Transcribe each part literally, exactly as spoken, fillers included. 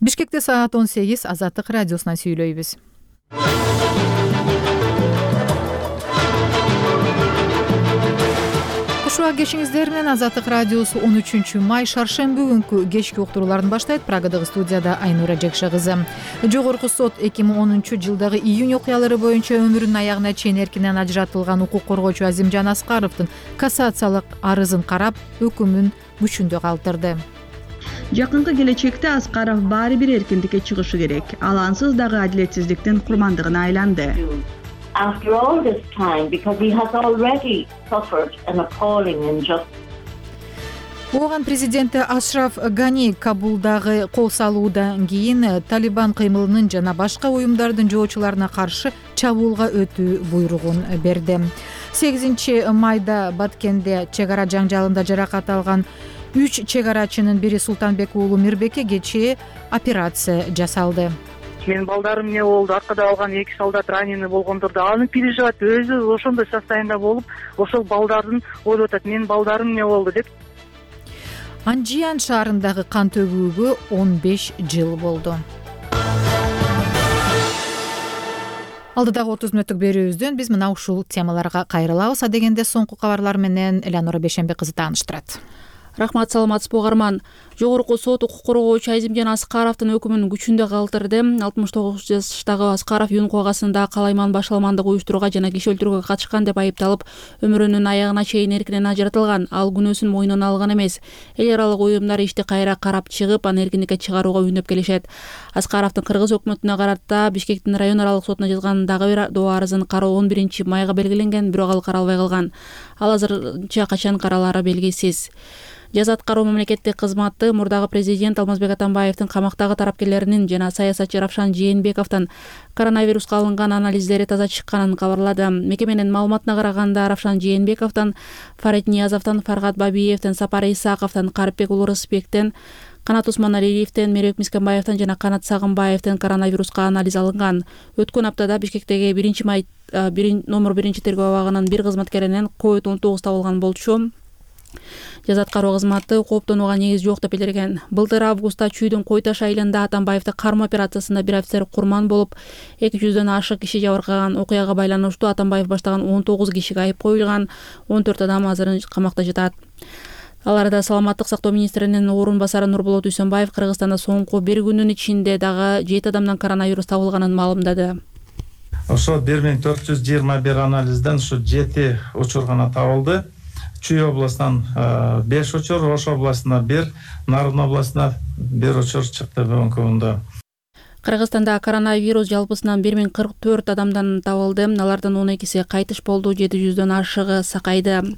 Бишкекте саат он сегиз. Азаттык радиосунан сүйлөйбүз. Ушуга кешиңиздер менен Азаттык радиосу он үчүнчү май шаршемби күнкү кечки уктурууларын баштайт. Прагадагы студияда Айнура Жекша кызы. Жогорку сот эки миң онунчу жылдагы июнь окуялары боюнча өмүрүнүн аягына чейин эркинен ажыратылган укук коргоочу Азимжан Аскаровдун кассациялык арызын карап, өкүмүн күчүндө калтырды. Жакынкы келечекте Аскаров баары бир эркиндикке чыгышы керек. Ал ансыз дагы адилетсиздиктин курмандыгына айланды. After all this time, because he has already suffered an appalling injustice. Оған президенти Ашраф Гани Кабулдагы кол салуудан кийин Талибан кыймылынын жана башка уюмдардын жоочуларына каршы чабуулга өтүү буйругун берди. сегизинчи майда Баткенде чек ара жаңжалында жаракат алган үч чек арачынын бири Султанбек уулу Мирбекке кечээ операция жасалды. Менин балдарым эмне болду, аркада алган эки солдат раненый болгондор да аны переживать өзү ошондой состояниеда болуп, ошол балдардын ойлоп атат, менин балдарым эмне болду деп. Анжиян шаарындагы кан төгүүгө он беш жыл болду. Алдыдагы отуз мүнөттүк берүүбүздөн биз мына ушул темаларга кайрылабыз. Адегенде соңку кабарлар менен Элеонора Бешенбек кызы тааныштырат. Рахмат, саламатсызбы угарман. Жогорку сот укук коргоочу Азимжан Аскаровдун өкүмүн күчүндө калтырды. алтымыш тогуз жаштагы Аскаров Юнку агасында калайман башаламандык уюштурууга жана киши өлтүрүүгө катышкан деп айыпталып, өмүрүнүн аягына чейин эркинен ажыратылган. Ал күнөөсүн мойнуна алган эмес. Эл аралык уюмдар ишти кайра карап чыгып, аны эркиндикке чыгарууга үнөп келишет. Аскаровдун Кыргыз өкмөтүнө карата Бишкектин район аралык сотуна жазган дагы бир доо арызын кароо он биринчи майга белгиленген, бирок ал каралбай калган. Ал азырынча качан каралаары белгисиз. Жаза аткаруу мамлекеттик кызматы мурдагы президент Алмазбек Атамбаевдин камактагы тарапкерлеринин жана саясатчы Равшан Жээнбековдун коронавируска алынган анализдери таза чыкканын кабарлады. Мекеменин маалыматына караганда Равшан Жээнбековдон, Фарид Ниязовдон, Фаргат Бабиевден, Сапар Исаковдон, Карипбек Улуу Рысбектен, Канат Усманалиевден, Мерек Мискенбаевден жана Канат Сагынбаевден коронавируска анализ алынган. Өткөн аптада Бишкектеги биринчи май номер биринчи тергөө абагынын бир кызматкеринен ковид он тогуз табылган болчу. Жаза аткаруу кызматы кооптонууга негиз жок деп билдирген. Былтыр августта Чүйдүн Кой Таш айылында Атамбаевди кармоо операциясында бир офицер курман болуп, эки жүздөн ашык киши жабыркаган. Окуяга байланыштуу Атамбаев баштаган он тогуз кишиге айып коюлган, он төрт адам азыр камакта жатат. Аларда саламаттык сактоо министринин орун басары Нурболот Дүйсөнбаев Кыргызстанда соңку бир күнүн ичинде дагы жети адамдан коронавирус табылганын маалымдады. Ошо бир миң төрт жүз жыйырма бир анализден ушу жети учур гана табылды. Чүй областынан беш учур, Ош областына бир, Нарын областына бир учур чыкты бүгүнкү күндө. Кыргызстанда коронавирус жалпысынан бир миң кырк төрт адамдан табылды. Алардан он экиси кайтыш болду, жети жүздөн ашыгы сакайды.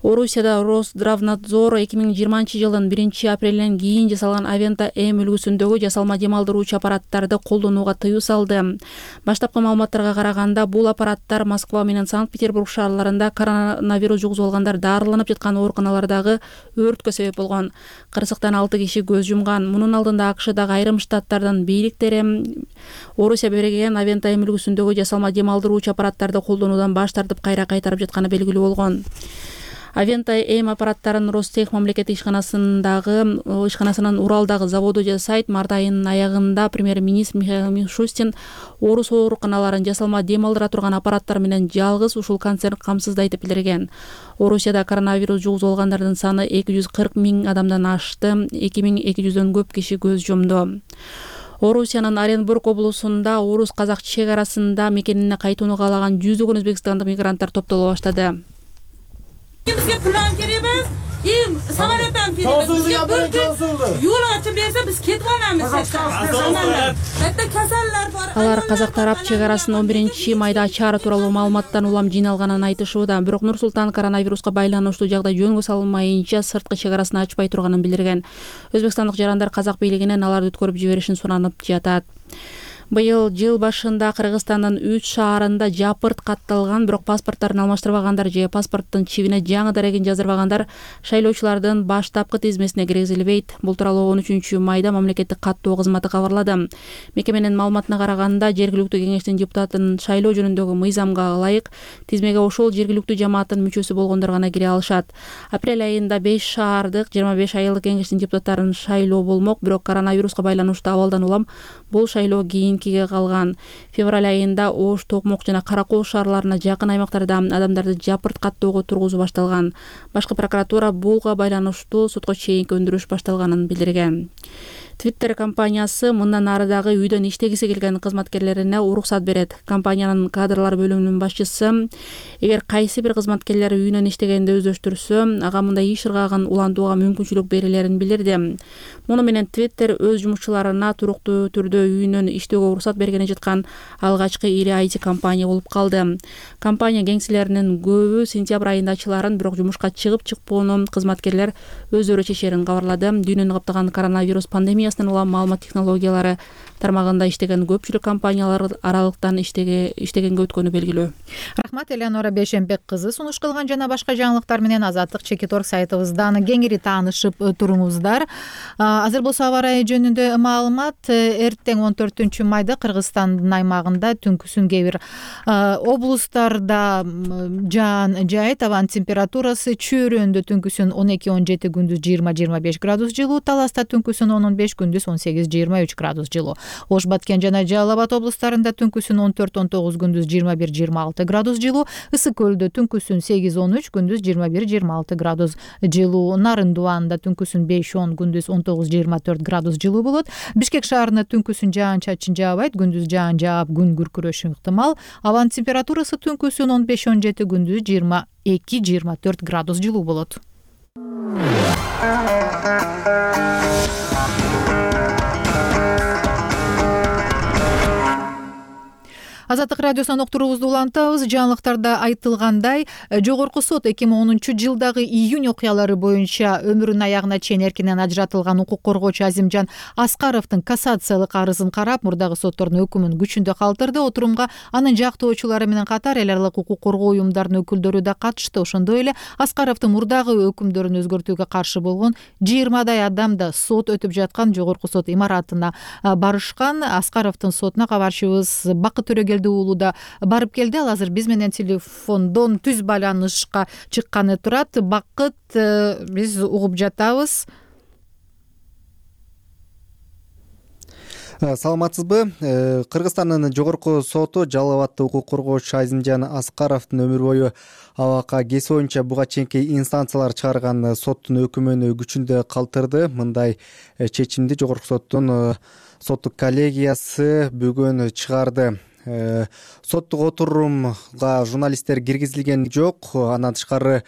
Орусияда Росздравнадзор эки миң жыйырманчы жылдын биринчи апрелинен кийин жасалган Авента М үлгүсүндөгү жасалма дем алдыруучу аппараттарды колдонууга тыюу салды. Баштапкы маалыматтарга караганда, бул аппараттар Москва менен Санкт-Петербург шаарларында коронавирус жугузуп алгандар дарыланып жаткан ооруканалардагы өрткө себеп болгон. Кырсыктан алты киши көз жумган. Мунун алдында АКШдагы айрым штаттардын бийликтери Орусия берген Авента М үлгүсүндөгү жасалма дем алдыруучу аппараттарды колдонуудан баш тартып кайра кайтарып жатканы белгилүү болгон. Авента М аппараттарын Ростех мамлекеттик ишканасындагы ишканасынын Уралдагы заводу жасайт. Март айынын аягында премьер-министр Михаил Мишустин орус ооруканаларын жасалма дем алдыра турган аппараттар менен жалгыз ушул концерн камсыздайт деп билдирген. Орусияда коронавирус жугузуп алгандардын саны эки жүз кырк миң адамдан ашты, эки миң эки жүздөн көп киши көз жумду. Орусиянын Оренбург облусунда орус казак чек арасында мекенине кайтууну каалаган жүздөгөн өзбекстандык мигранттар топтоло баштады. Bizga plan kerakmas, им samolyotdan kelamiz. Yo'l ochib bersa biz ketib olamiz. Katta kasallar bor. Алар казак тарап чек арасын он биринчи майда ачаары тууралуу маалыматтан улам жыйналганын айтышууда. Бирок Нур-Султан коронавируска байланыштуу жагдай жөнгө салынмайынча сырткы чек арасын ачпай турганын билдирген. Өзбекстандык жарандар казак бийлигинен аларды өткөрүп жиберишин суранып жатат. Быйыл жыл башында Кыргызстандын үч шаарында жапырт катталган, бирок паспорттарын алмаштырбагандар же паспорттун чибине жаңы дарегин жаздырбагандар шайлоочулардын баштапкы тизмесине киргизилбейт. Бул тууралуу он үчүнчү майда мамлекеттик каттоо кызматы кабарлады. Мекеменин маалыматына караганда, жергиликтүү кеңештин депутатын шайлоо жөнүндөгү мыйзамга ылайык тизмеге ошол жергиликтүү жамааттын мүчөсү болгондор гана кире алышат. Апрель айында беш шаардык жыйырма беш айылдык кеңештин депутаттарын шайлоо болмок, бирок коронавируска байланыштуу абалдан улам бул шайлоо кийинкиге калган. Февраль айында Ош, Токмок жана Кара Кол шаарларына жакын аймактарда адамдарды жапырт каттоого тургузуу башталган. Башкы прокуратура буга байланыштуу сотко чейинки өндүрүш башталганын билдирген. Twitter компаниясы мындан ары дагы үйдөн иштегиси келген кызматкерлерине уруксат берет. Компаниянын кадрлар бөлүмүнүн башчысы эгер кайсы бир кызматкерлер үйүнөн иштегенди өздөштүрсө, ага мындай иш ыргагын улантууга мүмкүнчүлүк берилерин билдирди. Муну менен Twitter өз жумушчуларына туруктуу түрдө үйүнөн иштөөгө уруксат бергени жаткан алгачкы ири ай ти компания болуп калды. Компания кеңселеринин көбү сентябрь айында ачыларын, бирок жумушка чыгып чыкпоону кызматкерлер өздөрү чечерин кабарлады. Дүйнөнү каптаган коронавирус пандемия улам маалымат технологиялары тармагында иштеген көпчүлүк компаниялар аралыктан иштеге иштегенге өткөнү белгилүү. Рахмат, Элеонора Бейшенбек кызы. Сунуш кылган жана башка жаңылыктар менен Азаттык Чекиторг сайтыбыздан кеңири таанышып туруңуздар. Азыр болсо аба ырайы жөнүндө маалымат. Эртең он төртүнчү майда Кыргызстандын аймагында түнкүсүн кээ бир облустарда жаан жайыт, абанын температурасы чөйрөндө түнкүсүн он эки он жети, күндүз жыйырма жыйырма беш градус жылуу, Таласта түнкүсүн он он беш, күндүз он сегиз жыйырма үч градус жылуу. Ош, Баткен жана Жалал Абад облустарында түнкүсүн он төрт он тогуз, күндүз жыйырма бир жыйырма алты градус жылуу. Ысык көлдө түнкүсүн сегиз он үч, күндүз жыйырма бир жыйырма алты градус жылуу. Нарын Дубанында түнкүсүн беш он, күндүз он тогуз жыйырма төрт градус жылуу болот. Бишкек шаарында түнкүсүн жаан чачын жаабайт, күндүз жаан жаап күн күркүрөшү ыктымал. Абанын температурасы түнкүсүн он беш он жети, күндүз жыйырма эки жыйырма төрт градус жылуу болот. Азаттык радиосунан уктуруубузду улантабыз. Жаңылыктарда айтылгандай, жогорку сот эки миң онунчу жылдагы июнь окуялары боюнча өмүрүнүн аягына чейин эркинен ажыратылган укук коргоочу Азимжан Аскаровдун кассациялык арызын карап, мурдагы соттордун өкүмүн күчүндө калтырды. Отурумга анын жактоочулары менен катар эл аралык укук коргоо уюмдарынын өкүлдөрү да катышты. Ошондой эле Аскаровдун мурдагы өкүмдөрүн өзгөртүүгө каршы болгон жыйырмадай адам да сот өтүп жаткан жогорку сот имаратына барышкан. Аскаровдун сотуна кабарчыбыз Бакыт Төрөгелди уулу да барып келди. Ал азыр биз менен телефондон түз байланышка чыкканы турат. Бакыт, биз угуп жатабыз. Саламатсызбы? Кыргызстандын жогорку соту Жалал Абадда укук коргоочу Азимжан Аскаровдун өмүр бою абакка кеси боюнча буга чейинки инстанциялар чыгарган соттун өкүмүн күчүндө калтырды. Мындай чечимди жогорку соттун соттук коллегиясы бүгүн чыгарды. Соттук отурумга журналисттер киргизилген жок. Андан тышкары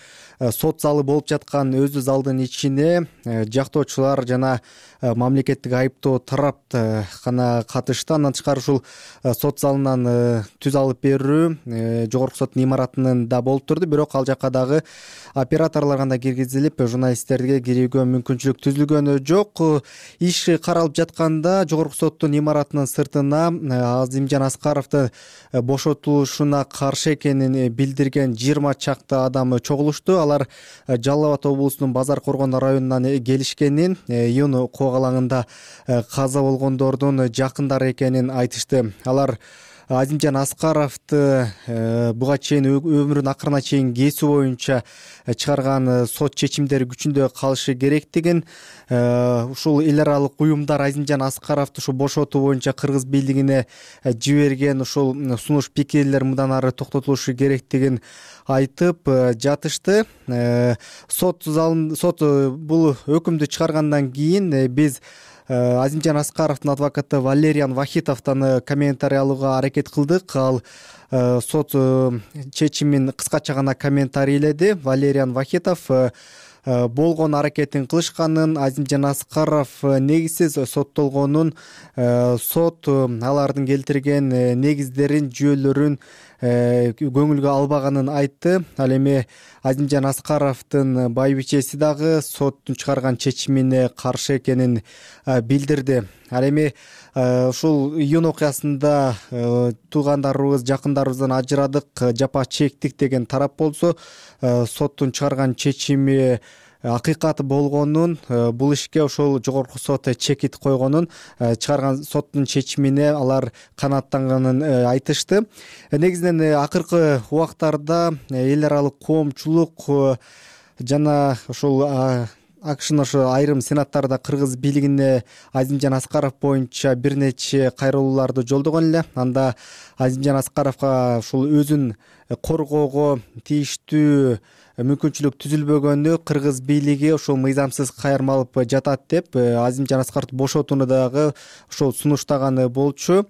сот залы болуп жаткан өзү залдын ичине жактоочулар жана мамлекеттик айыптоо тарап гана катышты. Андан тышкары ушул сот залынан түз алып берүү жогорку соттун имаратында да болуп турду. Бирок ал жака дагы операторлор гана киргизилип, журналисттерге кирүүгө мүмкүнчүлүк түзүлгөнү жок. Иш каралып жатканда жогорку соттун имаратынын сыртына Азимжан Аскаров бошотулушуна каршы экенин билдирген жыйырма чакты адам чогулушту. Алар Жалал Абад облусунун Базар Коргон районунан келишкенин, июнь кок алаңында каза болгондордун жакындары экенин айтышты. Алар Азимжан Аскаровду буга чейин өмүрүнүн акырына чейин кесүү боюнча чыгарган сот чечимдери күчүндө калышы керектигин, ушул эл аралык уюмдар Азимжан Аскаровду ушу бошотуу боюнча кыргыз бийлигине жиберген ушул сунуш пикирлер мындан ары токтотулушу керектигин айтып жатышты. Сот залын сот бул өкүмдү чыгаргандан кийин биз Азимжан Аскаровдун адвокаты Валериан Вахитовдон комментарий алууга аракет кылдык. Ал сот чечимин кыскача гана комментарийледи. Валериан Вахитов болгон аракетин кылышканын, Азимжан Аскаров негизсиз соттолгонун, сот алардын келтирген негиздерин, жүйөлөрүн көңүлгө албаганын айтты. Ал эми Азимжан Аскаровдун байбичеси дагы соттун чыгарган чечимине каршы экенин билдирди. Ал эми ушул июнь окуясында туугандарыбыз, жакындарыбыздан ажырадык, жапа чектик деген тарап болсо, соттун чыгарган чечими акыйкат болгонун, бул ишке ошол жогорку сот чекит койгонун, чыгарган соттун чечимине алар канааттанганын айтышты. Негизинен акыркы убактарда эл аралык коомчулук жана ошол АКШнын ошо айрым сенаттарда кыргыз бийлигине Азимжан Аскаров боюнча бир нече кайрылууларды жолдогон эле. Анда Азимжан Аскаровго ушул өзүн коргоого тийиштүү мүмкүнчүлүк түзүлбөгөнү кыргыз бийлиги ошол мыйзамсыз кайрма алып жатат деп Азимжан Аскаровду бошотууну дагы ошол сунуштаганы болчу.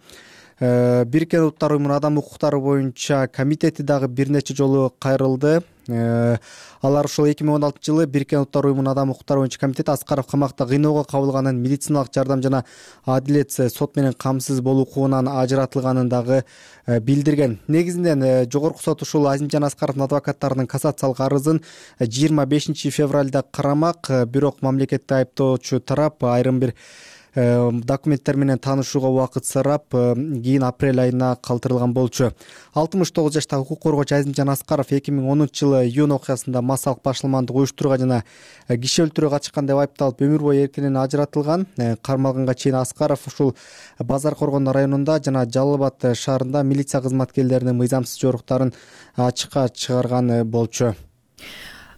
Бириккен Улуттар Уюмунун адам укуктары боюнча комитети дагы бир нече жолу кайрылды. Алар ошол эки миң он алтынчы жылы Бириккен Улуттар Уюмунун адам укуктары боюнча комитети Аскаров камакта кыйноого кабылганын, медициналык жардам жана адилет сот менен камсыз болуу укугунан ажыратылганын дагы билдирген. Негизинен жогорку сот ушул Азимжан Аскаровдун адвокаттарынын кассациялык арызын жыйырма бешинчи февралда карамак, бирок мамлекетти айыптоочу тарап айрым бир документтер менен таанышууга убакыт сурап, кийин апрель айына калтырылган болчу. алтымыш тогуз жаштагы укук коргоочу Азимжан Аскаров эки миң онунчу жылы июнь окуясында массалык башаламандык уюштурууга жана киши өлтүрүүгө катышкан деп айыпталып өмүр бою эркинен ажыратылган. Кармалганга чейин Аскаров ушул Базар Коргон районунда жана Жалал Абад шаарында милиция кызматкерлеринин мыйзамсыз жоруктарын ачыкка чыгарган болчу.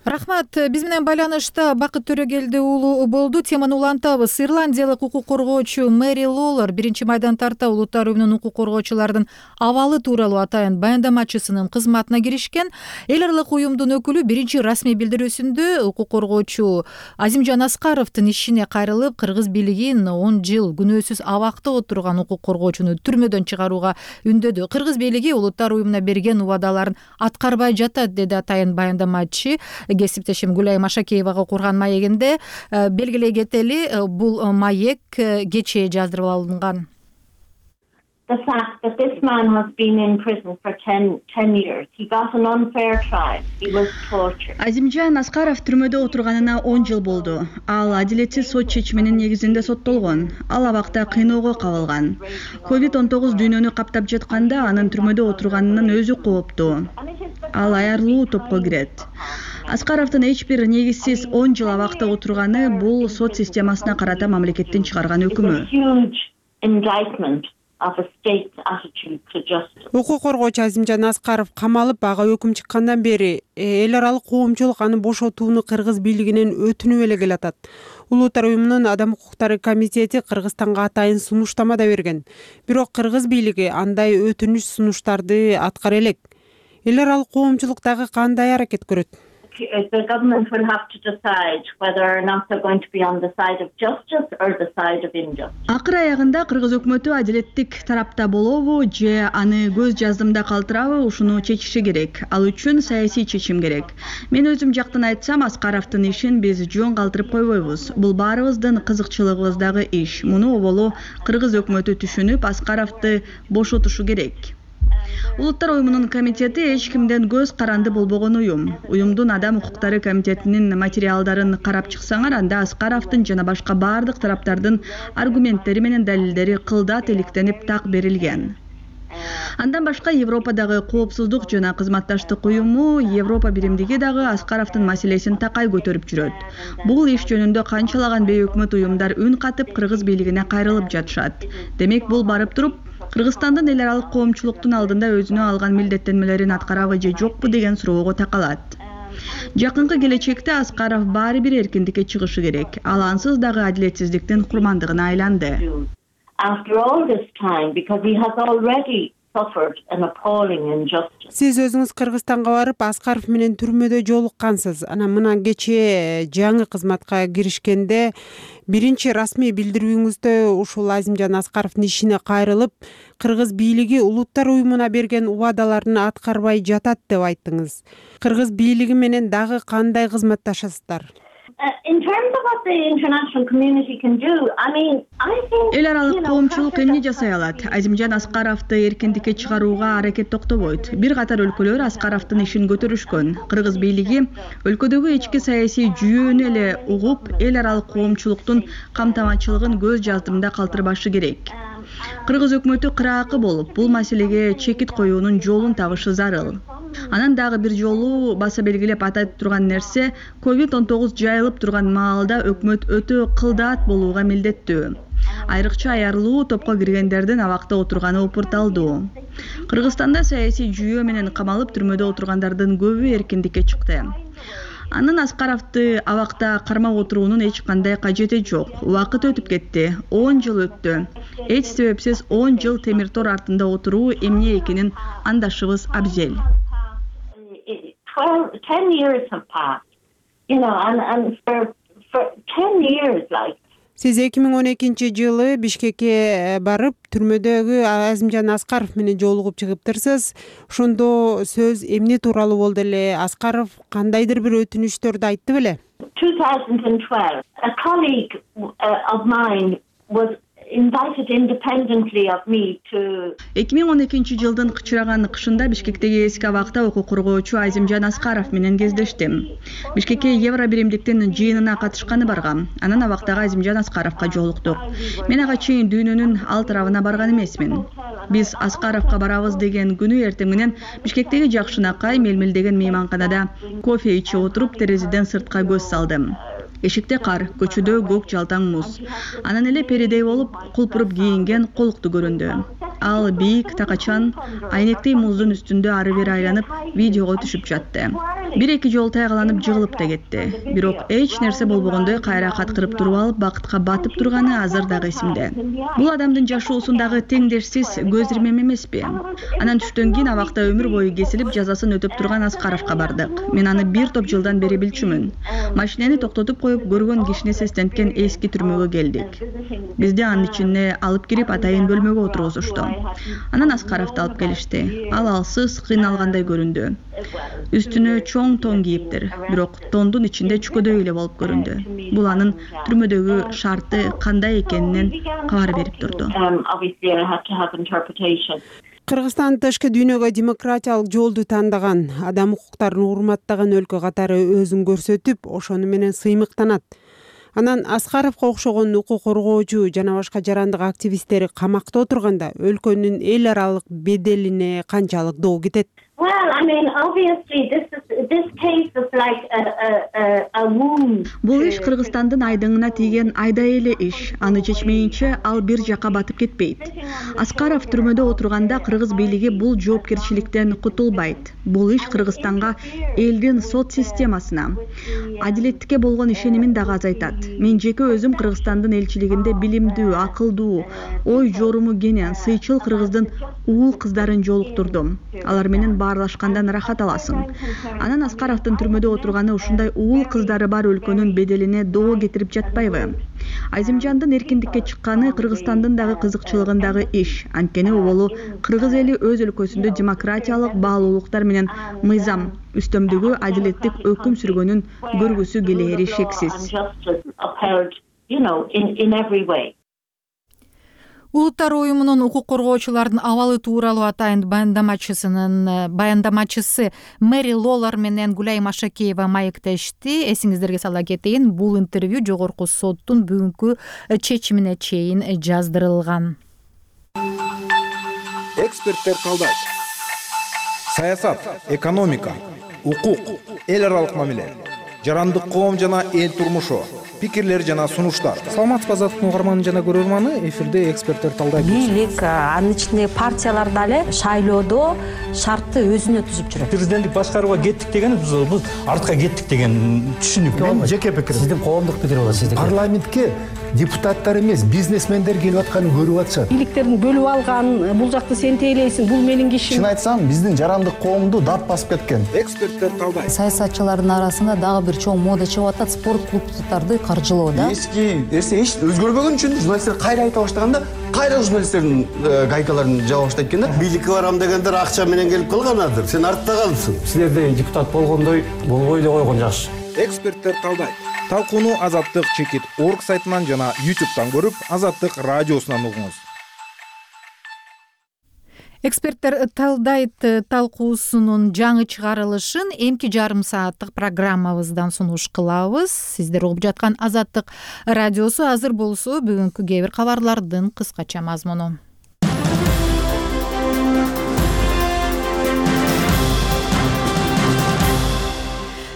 Рахмат. Биз менен байланышта Бакыт Төрөгелди уулу болду. Теманы улантабыз. Ирландиялык укук коргоочу Мэри Лоллер биринчи майдан тарта Улуттар Уюмунун укук коргоочулардын абалы тууралуу атайын баяндамачысынын кызматына киришкен. Эл аралык уюмдун өкүлү биринчи расмий билдирүүсүндө укук коргоочу Азимжан Аскаровдун ишине кайрылып, кыргыз бийлигин он жыл күнөөсүз абакта отурган укук коргоочуну түрмөдөн чыгарууга үндөдү. Кыргыз бийлиги Улуттар Уюмуна берген убадаларын аткарбай жатат, деди атайын баяндамачы. Кесиптешим Гүлайым Ашакеевага курган маегинде белгилей кетели, бул маек кечээ жаздырып алынган. The fact that this man has been in prison for ten years. He got an unfair trial. He was tortured. Азимжан Аскаров түрмөдө отурганына он жыл болду. Ал адилетсиз сот чечиминин негизинде соттолгон. Ал абакта кыйноого кабылган. ковид он тогуз дүйнөнү каптап жатканда анын түрмөдө отурганынын өзү кооптуу. Ал аярлуу топко кирет. Аскаровдун эч бир негизсиз он жыл абакта отурганы бул сот системасына карата мамлекеттин чыгарган өкүмү. Укук коргоочу Азимжан Аскаров камалып, ага өкүм чыккандан бери эл аралык коомчулук аны бошотууну кыргыз бийлигинен өтүнүп эле келатат. Улуттар Уюмунун адам укуктары комитети Кыргызстанга атайын сунуштама да берген. Бирок кыргыз бийлиги андай өтүнүч сунуштарды аткара элек. Эл аралык коомчулук дагы кандай аракет көрөт? The government will have to decide whether or not they're going to be on the side of justice or the side of injustice. Акыр аягында кыргыз өкмөтү адилеттик тарапта болобу же аны көз жаздымда калтырабы, ушуну чечиши керек. Ал үчүн саясий чечим керек. Мен өзүм жактан айтсам, Аскаровдун ишин биз жөн калтырып койбойбуз. Бул баарыбыздын кызыкчылыгыбыздагы иш. Муну оболу кыргыз өкмөтү түшүнүп, Аскаровду бошотушу керек. Улуттар Уюмунун комитети эч кимден көз каранды болбогон уюм. Уюмдун адам укуктары комитетинин материалдарын карап чыксаңар, анда Аскаровдун жана башка бардык тараптардын аргументтери менен далилдери кылдат иликтенип так берилген. Андан башка Европадагы коопсуздук жана кызматташтык уюму, Европа биримдиги дагы Аскаровдун маселесин такай көтөрүп жүрөт. Бул иш жөнүндө канчалаган бейөкмөт уюмдар үн катып кыргыз бийлигине кайрылып жатышат. Демек бул барып туруп Кыргызстандын эл аралык коомчулуктун алдында өзүнө алган милдеттенмелерин аткарабы же жокпу деген суроого такалат. Жакынкы келечекте Аскаров баары бир эркиндикке чыгышы керек. Ал ансыз дагы адилетсиздиктин курмандыгына айланды. After all this time, because he has already suffered an appalling injustice. Сиз өзүңүз Кыргызстанга барып, Аскаров менен түрмөдө жолуккансыз. Анан мына кечээ жаңы кызматка киришкенде биринчи расмий билдирүүңүздө ушул Азимжан Аскаровдун ишине кайрылып, кыргыз бийлиги Улуттар Уюмуна берген убадаларын аткарбай жатат деп айттыңыз. Кыргыз бийлиги менен дагы кандай кызматташасыздар? in terms of what the international community can do, I mean, I think эл аралык коомчулук эмне жасай алат? Азимжан Аскаровду эркиндикке чыгарууга аракет токтобойт. Бир катар өлкөлөр Аскаровдун ишин көтөрүшкөн. Кыргыз бийлиги өлкөдөгү ички саясий жүйөнү эле угуп, эл аралык коомчулуктун камтамачылыгын көз жаздырмда калтырбашы керек. Кыргыз өкмөтү кыраакы болуп, бул маселеге чекит коюунун жолун табышы зарыл. Анан дагы бир жолу баса белгилеп атап турган нерсе, ковид он тогуз жайылып турган маалда өкмөт өтө кылдаат болууга милдеттүү. Айрыкча аярлуу топко киргендердин абакта отурганы опурталдуу. Кыргызстанда саясий жүйө менен камалып түрмөдө отургандардын көбү эркиндикке чыкты. Анын Аскаровду абакта кармап отуруунун эч кандай кажети жок. Убакыт өтүп кетти. он жыл өттү. Эч себепсиз он жыл темир тор артында отуруу эмне экенин андашыбыз абзел. twelve, ten years have passed, you know, and, and for, for ten years, like. Сиз эки миң он экинчи жылы Бишкекке барып, түрмөдөгү Азимжан Аскаров менен жолугуп чыгыптырсыз. Ошондо сөз эмне тууралуу болду эле? Аскаров кандайдыр бир өтүнүчтөрдү айтты беле? twenty twelve, a colleague uh, of mine was invited independently of me to эки миң он экинчи жылдын кычыраган кышында Бишкектеги эски абакта укук коргоочу Азимжан Аскаров менен кездештим. Бишкекке Евро биримдиктин жыйынына катышканы баргам. Анан абактагы Азимжан Аскаровго жолуктук. Мен ага чейин дүйнөнүн ал тарабына барган эмесмин. Биз Аскаровго барабыз деген күнү эртең менен Бишкектеги Жакшынакай Мелмил деген мейманканада кофе ичип отуруп, терезеден сыртка көз салдым. Эшикте кар, көчөдө көк жалтаң муз. Анан эле перидей болуп, кулпуруп кийинген колукту көрүндү. Ал бийик, такачан, айнектей муздун үстүндө ары бери айланып, видеого түшүп жатты. Бир-эки жолу тайгаланып жыгылып да кетти. Бирок эч нерсе болбогондой кайра каткырып туруп алып, бакытка батып турганы азыр дагы эсимде. Бул адамдын жашоосундагы теңдешсиз көз ирмем эмеспи? Анан түштөн кийин абакта өмүр бою кесилип, жазасын өтөп турган Аскаровго бардык. Мен аны бир топ жылдан бери билчүмүн. Машинени токтотуп коюп, көргөн кишини сестенткен эски түрмөгө келдик. Бизди анын ичине алып кирип, атайын бөлмөгө отургузушту. Анан Аскаровду алып келишти. Ал алсыз, кыйналгандай көрүндү. Үстүнө чоң тон кийиптир, бирок тондун ичинде чүкөдөй эле болуп көрүндү. Бул анын түрмөдөгү шарты кандай экенинен кабар берип турду. Кыргызстан тышкы дүйнөгө демократиялык жолду тандаган, адам укуктарын урматтаган өлкө катары өзүн көрсөтүп, ошону менен сыймыктанат. Анан Аскаровго окшогон укук коргоочу жана башка жарандык активисттери камакта отурганда өлкөнүн эл аралык беделине канчалык доо кетет? Well, I mean, obviously, this is this case is like a a a, a wound. Бул иш Кыргызстандын айдыңына тийген айдай эле иш. Аны чечмейинче ал бир жакка батып кетпейт. Аскаров түрмөдө отурганда Кыргыз бийлиги бул жоопкерчиликтен кутулбайт. Бул иш Кыргызстанга элдин сот системасына, адилеттикке болгон ишенимин дагы азайтат. Мен жеке өзүм Кыргызстандын элчилигинде билимдүү, акылдуу, ой жоруму кенен, сыйчыл Кыргыздын уул кыздарын жолуктурдум. Алар менен баарлашкандан рахат аласың. Анан Аскаровдун түрмөдө отурганы ушундай уул кыздары бар өлкөнүн беделине доо кетирип жатпайбы? Азимжандын эркиндикке чыкканы Кыргызстандын дагы кызыкчылыгындагы иш. Анткени болу кыргыз эли өз өлкөсүндө демократиялык баалуулуктар менен мыйзам, үстөмдүгү, адилеттик өкүм сүргөнүн көргүсү келери шексиз. Улуттар уюмунун укук коргоочулардын абалы тууралуу атайын баяндамачысынын баяндамачысы Мэри Лолар менен Гүлай Машакеева маектешти. Эсиңиздерге сала кетейин, бул интервью жогорку соттун бүгүнкү чечимине чейин жаздырылган. Эксперттер калдайт. Саясат, экономика, укук, эл аралык мамиле, жарандык коом жана эл турмушу, пикирлер жана сунуштар. Саламатсызбы азаттык угарманы жана көрөрманы, эфирде эксперттер талдайт. Бийлик, анын ичинде партиялар дагы шайлоодо шартты өзүнө түзүп жүрөт. Президенттик башкарууга кеттик деген биз артка кеттик деген түшүнүк. Мен жеке пикирим. Сиздин коомдук пикир болот, сиздики. Парламентке депутаттар эмес, бизнесмендер келип атканын көрүп атышат. Бийликтерин бөлүп алган, бул жакты сен тейлейсиң, бул менин кишим. Чын айтсам, биздин жарандык коомду дат басып кеткен. Эксперттер талдайт. Саясатчылардын арасында дагы бир чоң мода чыгып атат, спорт клубдарды каржылоо да. Эски нерсе эч өзгөрбөгөн үчүн журналисттер кайра айта баштаганда, кайра журналисттердин гайкаларын жаба баштайт экен да. Бийликке барам дегендер акча менен келип калганадыр. Сен артта калдың. Силерде депутат болгондой болбой эле койгон жакшы. Эксперттер талдайт. Талкууну Азаттык чекит орг сайтынан жана ютубтан көрүп, Азаттык радиосунан угуңуз. Эксперттер талдайт талкуусунун жаңы чыгарылышын эмки жарым сааттык программабыздан сунуш кылабыз. Сиздер угуп жаткан Азаттык радиосу. Азыр болсо бүгүнкү кээ бир кабарлардын кыскача мазмуну.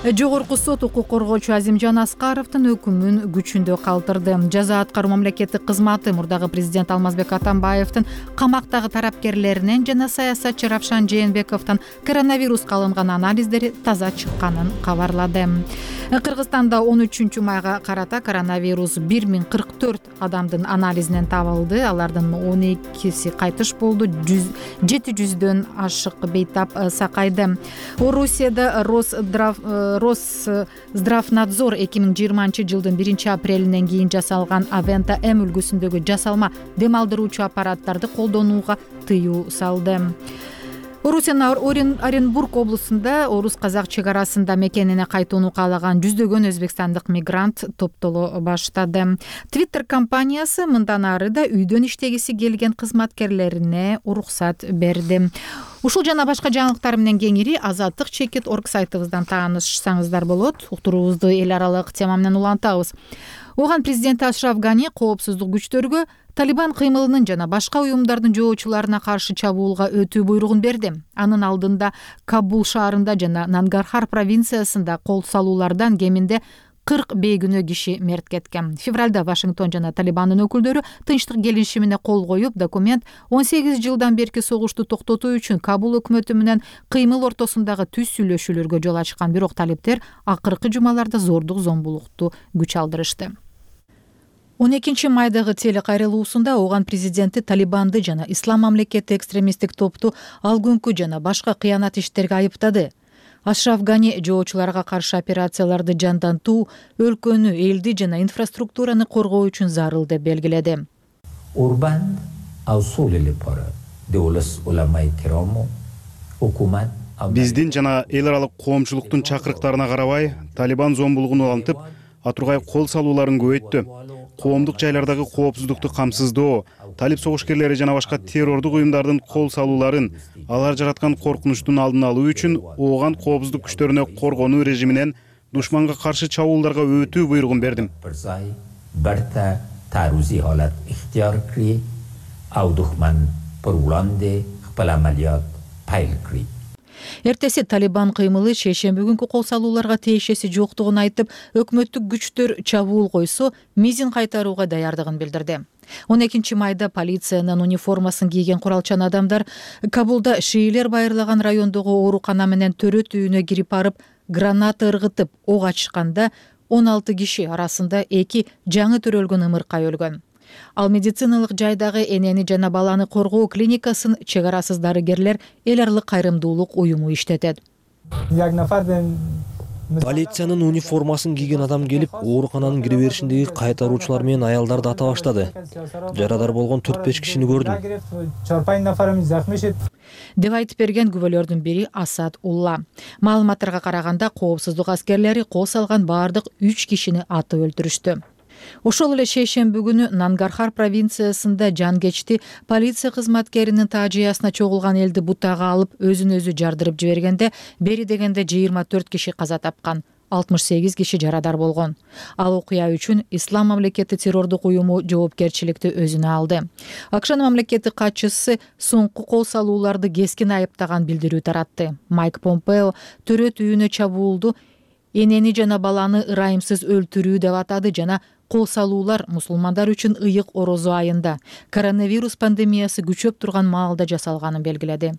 Жогорку сот укук коргоочу Азимжан Аскаровдун өкүмүн күчүндө калтырды. Жаза аткаруу мамлекеттик кызматы мурдагы президент Алмазбек Атамбаевдин камактагы тарапкерлеринен жана саясатчы Равшан Жээнбековдун коронавируска алынган анализдери таза чыкканын кабарлады. Кыргызстанда он үчүнчү майга карата коронавирус бир миң кырк төрт адамдын анализинен табылды. Алардын он экиси кайтыш болду. жети жүздөн ашык бейтап сакайды. Орусияда Росздрав Росздравнадзор эки миң жыйырманчы жылдын биринчи апрелинен кийин жасалган Авента М үлгүсүндөгү жасалма дем алдыруучу аппараттарды колдонууга тыюу салды. Орусиянын Оренбург облусунда орус-казак чек арасында мекенине кайтууну каалаган жүздөгөн өзбекстандык мигрант топтоло баштады. Twitter компаниясы мындан ары да үйдөн иштегиси келген кызматкерлерине уруксат берди. Ушул жана башка жаңылыктар менен кеңири Азаттык чекит орг сайтыбыздан таанышсаңыздар болот. Уктуруубузду эл аралык тема менен улантабыз. Оган президенти Ашраф Гани коопсуздук күчтөргө Талибан кыймылынын жана башка уюмдардын жоочуларына каршы чабуулга өтүү буйругун берди. Анын алдында Кабул шаарында жана Нангархар провинциясында кол салуулардан кеминде кырк бейгүнөө киши мерт кеткен. Февралда Вашингтон жана Талибандын өкүлдөрү тынчтык келишимине кол коюп, документ он сегиз жылдан берки согушту токтотуу үчүн Кабул өкмөтү менен кыймыл ортосундагы түз сүйлөшүүлөргө жол ачкан. Бирок талиптер акыркы жумаларда зордук зомбулукту күч алдырышты. он экинчи майдагы телекайрылуусунда Оган президенти Талибанды жана Ислам мамлекети экстремисттик топту ал күнкү жана башка кыянат иштерге айыптады. Ашраф Гани жоочуларга каршы операцияларды жандантуу, өлкөнү, элди жана инфраструктураны коргоо үчүн зарыл деп белгиледи. Урбан аусулили пара девлас уламай кирому hukумат биздин жана эл аралык коомчулуктун чакырыктарына карабай Талибан зомбулугун улантып, атургай кол салууларын көбөйттү. Коомдук жайлардагы коопсуздукту камсыздоо, талип согушкерлери жана башка террордук уюмдардын кол салууларын, алар жараткан коркунучтун алдын алуу үчүн Оган коопсуздук күчтөрүнө коргонуу режиминен душманга каршы чабуулдарга өтүү буйругун бердим. Барта тарузи халат ихтияр кри, ау душман пуруланде хпал амалият пайл кри. Эртеси Талибан кыймылы шейшемби күнкү кол салууларга тиешеси жоктугун айтып, өкмөттүк күчтөр чабуул койсо, мизин кайтарууга даярдыгын билдирди. он экинчи майда полициянын униформасын кийген куралчан адамдар Кабулда шиилер байырлаган райондогу оорукана менен төрөт үйүнө кирип барып, граната ыргытып ок ачканда он алты киши арасында эки жаңы төрөлгөн ымыркай өлгөн. Ал медициналык жайдагы энени жана баланы коргоо клиникасын чек арасыз дарыгерлер эл аралык кайрымдуулук уюму иштетет. Полициянын униформасын кийген адам келип, оорукананын кире беришиндеги кайтаруучулар менен аялдарды ата баштады. Жарадар болгон төрт беш кишини көрдүм. Деп айтып берген күбөлөрдүн бири Асад Улла. Маалыматтарга караганда, коопсуздук аскерлери кол салган баардык үч кишини атып өлтүрүштү. Ошол эле шейшемби күнү Нангархар провинциясында жангечти полиция кызматкеринин таажиясына чогулган элди бутага алып өзүн өзү жардырып жибергенде бери дегенде жыйырма төрт киши каза тапкан, алтымыш сегиз киши жарадар болгон. Ал окуя үчүн Ислам мамлекети террордук уюму жоопкерчиликти өзүнө алды. АКШнын мамлекеттик катчысы соңку кол салууларды кескин айыптаган билдирүү таратты. Майк Помпео төрөт үйүнө чабуулду энени жана баланы ырайымсыз өлтүрүү деп атады жана кол салуулар мусулмандар үчүн ыйык орозо айында коронавирус пандемиясы күчөп турган маалда жасалганын белгиледи.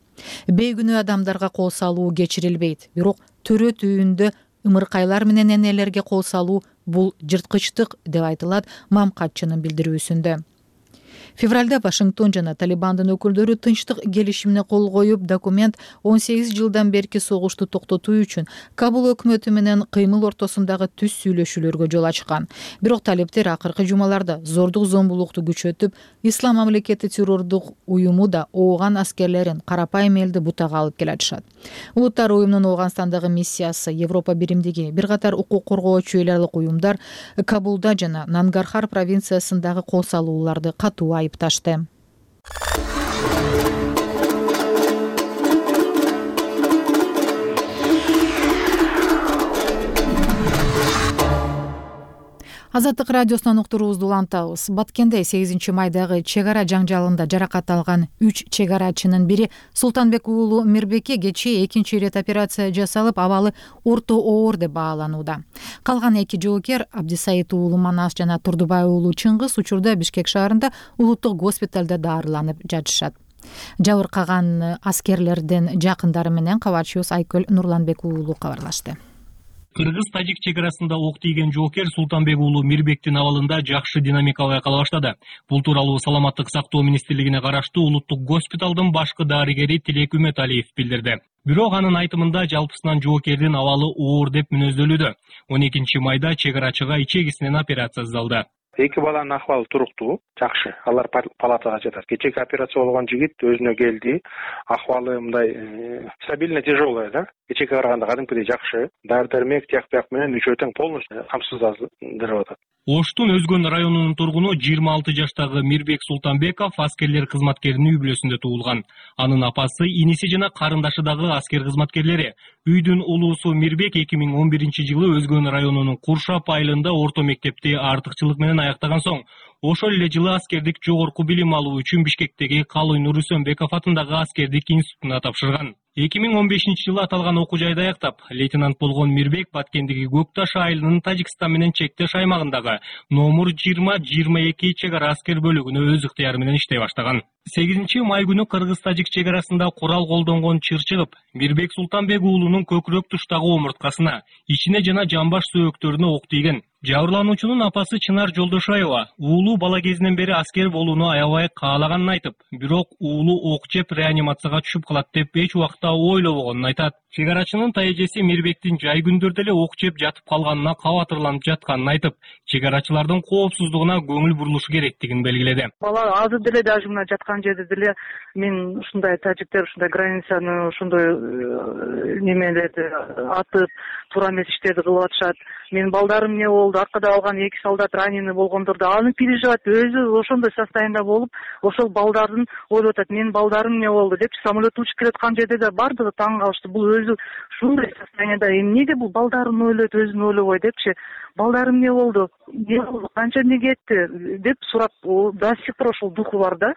Бейгүнөө адамдарга кол салуу кечирилбейт, бирок төрөт үйүндө ымыркайлар менен энелерге кол салуу бул жырткычтык деп айтылат мам катчынын билдирүүсүндө. Февралда Вашингтон жана Талибандын өкүлдөрү тынчтык келишимине кол коюп, документ он сегиз жылдан берки согушту токтотуу үчүн Кабул өкмөтү менен кыймыл ортосундагы түз сүйлөшүүлөргө жол ачкан. Бирок талептер акыркы жумаларда зордук зомбулукту күчөтүп, Ислам мамлекети террордук уюму да ооган аскерлерин карапайым элди бутага алып келатышат. Улуттар уюмунун Ооганстандагы миссиясы, Европа биримдиги, бир катар укук коргоочу эл аралык уюмдар Кабулда жана Нангархар провинциясындагы кол салууларды катуу айыпташты. Азаттык радиосунан уктуруубузду улантабыз. Баткенде сегизинчи майдагы чек ара жаңжалында жаракат алган үч чек арачынын бири Султанбек уулу Мирбекке кечээ экинчи ирет операция жасалып, абалы орто оор деп бааланууда. Калган эки жоокер Абдисайыт уулу Манас жана Турдубай уулу Чыңгыз учурда Бишкек шаарында улуттук госпиталда даарыланып жатышат. Жабыркаган аскерлердин жакындары менен кабарчыбыз Айкөл Нурланбек уулу кабарлашты. Кыргыз-тажик чек арасында ок тийген жоокер Султанбек уулу Мирбектин абалында жакшы динамика байкала баштады. Бул тууралуу Саламаттык сактоо министрлигине караштуу улуттук госпиталдын башкы дарыгери Тилек Үмөталиев билдирди. Бирок анын айтымында жалпысынан жоокердин абалы оор деп мүнөздөлүүдө. он экинчи майда чек арачыга ичегисинен операция жасалды. Эки баланын акыбалы туруктуу, жакшы. Алар палатага жатат. Кечээки операция болгон жигит өзүнө келди. Акыбалы мындай стабильно тяжелая, да? Кечээки караганда кадимкидей жакшы. Дары-дармек, тияк-бияк менен үчөө тең полностью камсыздандырып атат. Оштун Өзгөн районунун тургуну жыйырма алты жаштагы Мирбек Султанбеков аскерлер кызматкеринин үй бүлөсүндө туулган. Анын апасы, иниси жана карындашы дагы аскер кызматкерлери. Үйдүн улуусу Мирбек эки миң он биринчи жылы Өзгөн районунун Куршап айылында орто мектепти артыкчылык менен аяктаган соң, ошол эле жылы аскердик жогорку билим алуу үчүн Бишкектеги Калый Нурүсөнбеков атындагы аскердик институтуна тапшырган. эки миң он бешинчи жылы аталган окуу жайды аяктап, лейтенант болгон Мирбек Баткендеги Көк Таш айылынын Тажикстан менен чектеш аймагындагы номер жыйырма жыйырма эки чек ара аскер бөлүгүнө өз ыктыяры менен иштей баштаган. сегизинчи май күнү Кыргыз-тажик чек арасында курал колдонгон чыр чыгып, Мирбек Султанбек уулунун көкүрөк туштагы омурткасына, ичине жана жамбаш сөөктөрүнө ок тийген. Жабырлануучунун апасы Чынар Жолдошаева уулу бала кезинен бери аскер болууну аябай каалаганын айтып, бирок уулу ок жеп реанимацияга түшүп калат деп эч убакта ойлобогонун айтат. Чек арачынын тайэжеси Мирбектин жай күндөрдө эле ок жеп жатып калганына кабатырланып жатканын айтып, чек арачылардын коопсуздугуна көңүл бурулушу керектигин белгиледи. Бала азыр деле даже мына жаткан жерде деле мен ушундай тажиктер ушундай границаны ошондой немелерди атып, туура эмес иштерди кылып атышат. Менин балдарым эмне болду, аркада алган эки солдат раненый болгондорду аны переживать өзү ошондой состояниеда болуп, ошол балдардын ойлоп атат, менин балдарым эмне болду деп самолет учуп келаткан жерде да бардыгы таң калышты. Бул өзү ушундай состояниеда эмнеге бул балдарын ойлойт, өзүн ойлобой депчи, балдарым эмне болду, эмне болду, канча эмне кетти деп сурап, до сих пор ошол духу бар да.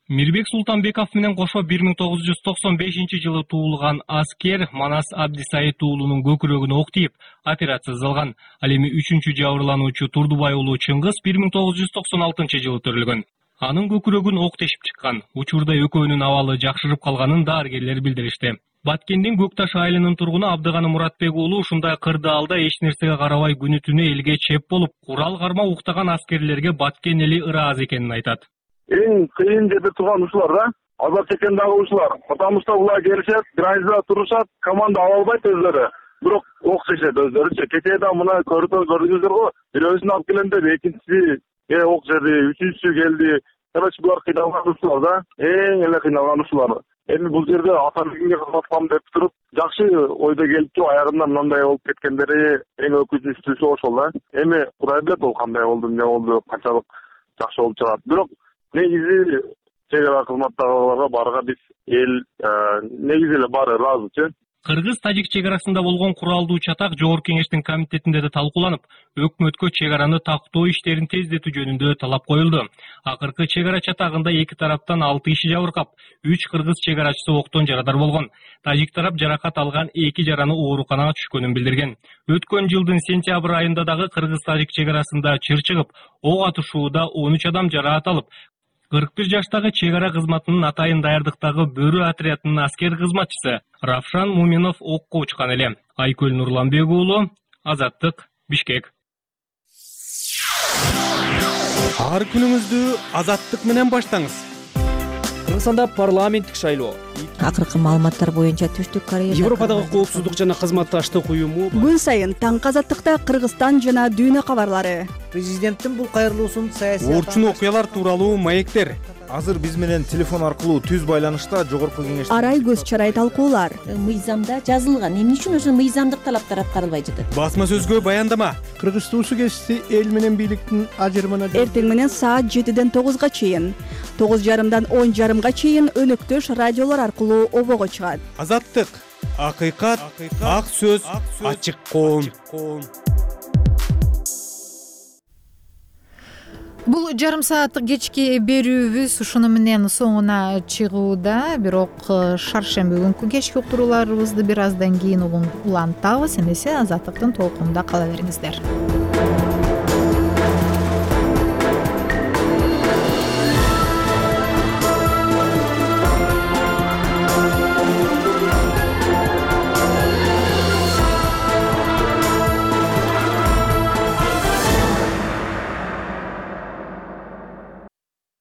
Мирбек Султанбеков менен кошо бир миң тогуз жүз токсон бешинчи жылы туулган аскер Манас Абдисайыт уулунун көкүрөгүнө ок тийип операция жасалган. Ал эми үчүнчү жабырлануучу Турдубай уулу Чыңгыз бир миң тогуз жүз токсон алтынчы жылы төрөлгөн. Анын көкүрөгүн ок тешип чыккан. Учурда экөөнүн абалы жакшырып калганын дарыгерлер билдиришти. Баткендин Көк Таш айылынын тургуну Абдыганы Муратбек уулу ушундай кырдаалда эч нерсеге карабай күнү түнү элге чеп болуп, курал карма уктаган аскерлерге Баткен эли ыраазы экенин айтат. Эң кыйын жерде турган ушулар да. Азап чеккен дагы ушулар. Потому что булар келишет, границада турушат, команда ала албайт өзлөрү. Бирок ок чечет өзлөрүчө. Кечээ да мына көрдүңүз көрдүңүздөр го. Бирөөсүн алып келем деп экинчиси э ок жерди, үчүнчүсү келди. Короче, булар кыйналган ушулар да. Эң эле кыйналган ушулар. Эми бул жерде атамекенге кызмат кылам деп туруп, жакшы ойдо келипчү, аягында мындай болуп кеткендери эң өкүнүчтүүсү ошол да. Эми Кудай билет ол кандай болду, эмне болду, канчалык жакшы болуп чыгат. Бирок негизи чек ара кызматтагыларга барга биз эл негизи эле баары ыраазычы. Кыргыз-тажик чек арасында болгон куралдуу чатак Жогорку Кеңештин комитетинде да талкууланып, өкмөткө чек араны тактоо иштерин тездетүү жөнүндө талап коюлду. Акыркы чек ара чатагында эки тараптан алты киши жабыркап, үч кыргыз чек арачысы октон жарадар болгон. Тажик тарап жаракат алган эки жараны ооруканага түшкөнүн билдирген. Өткөн жылдын сентябрь айында дагы кыргыз-тажик чек арасында чыр чыгып, ок атышууда он үч адам жараат алып, кырк бир жаштагы чек ара кызматынын атайын даярдыктагы Бөрү отрядынын аскер кызматчысы Равшан Муминов окко учкан эле. Айкөл Нурланбек уулу, Азаттык, Бишкек. ар күнүңүздү азаттык менен баштаңыз. Кыргызстанда парламенттик шайлоо. Акыркы маалыматтар боюнча Түштүк Корея Европадагы коопсуздук жана кызматташтык уюму күн сайын таңкы азаттыкта Кыргызстан жана дүйнө кабарлары. Президенттин бул кайрылуусун саясий Орчун окуялар тууралуу маектер. Азыр биз менен телефон аркылуу түз байланышта жогорку кеңеш Арай көз чарай талкуулар. Мыйзамда жазылган, эмне үчүн ошо мыйзамдык талаптар аткарылбай жатат? Басма сөзгө баяндама. Кыргыз туусу кесиси эл менен бийликтин ажырымына Эртең менен саат жетиден тогузга чейин, тогуз жарымдан он жарымга чейин өнөктөш радиолор аркылуу обого чыгат. Азаттык, акыйкат, ак сөз, ачык коом. Бул жарым сааттык кечки берүүбүз ушуну менен соңуна чыгууда, бирок шаршемби күнкү кечки уктурууларыбызды бир аздан кийин улантабыз. Эмесе азаттыктын толкунунда кала бериңиздер.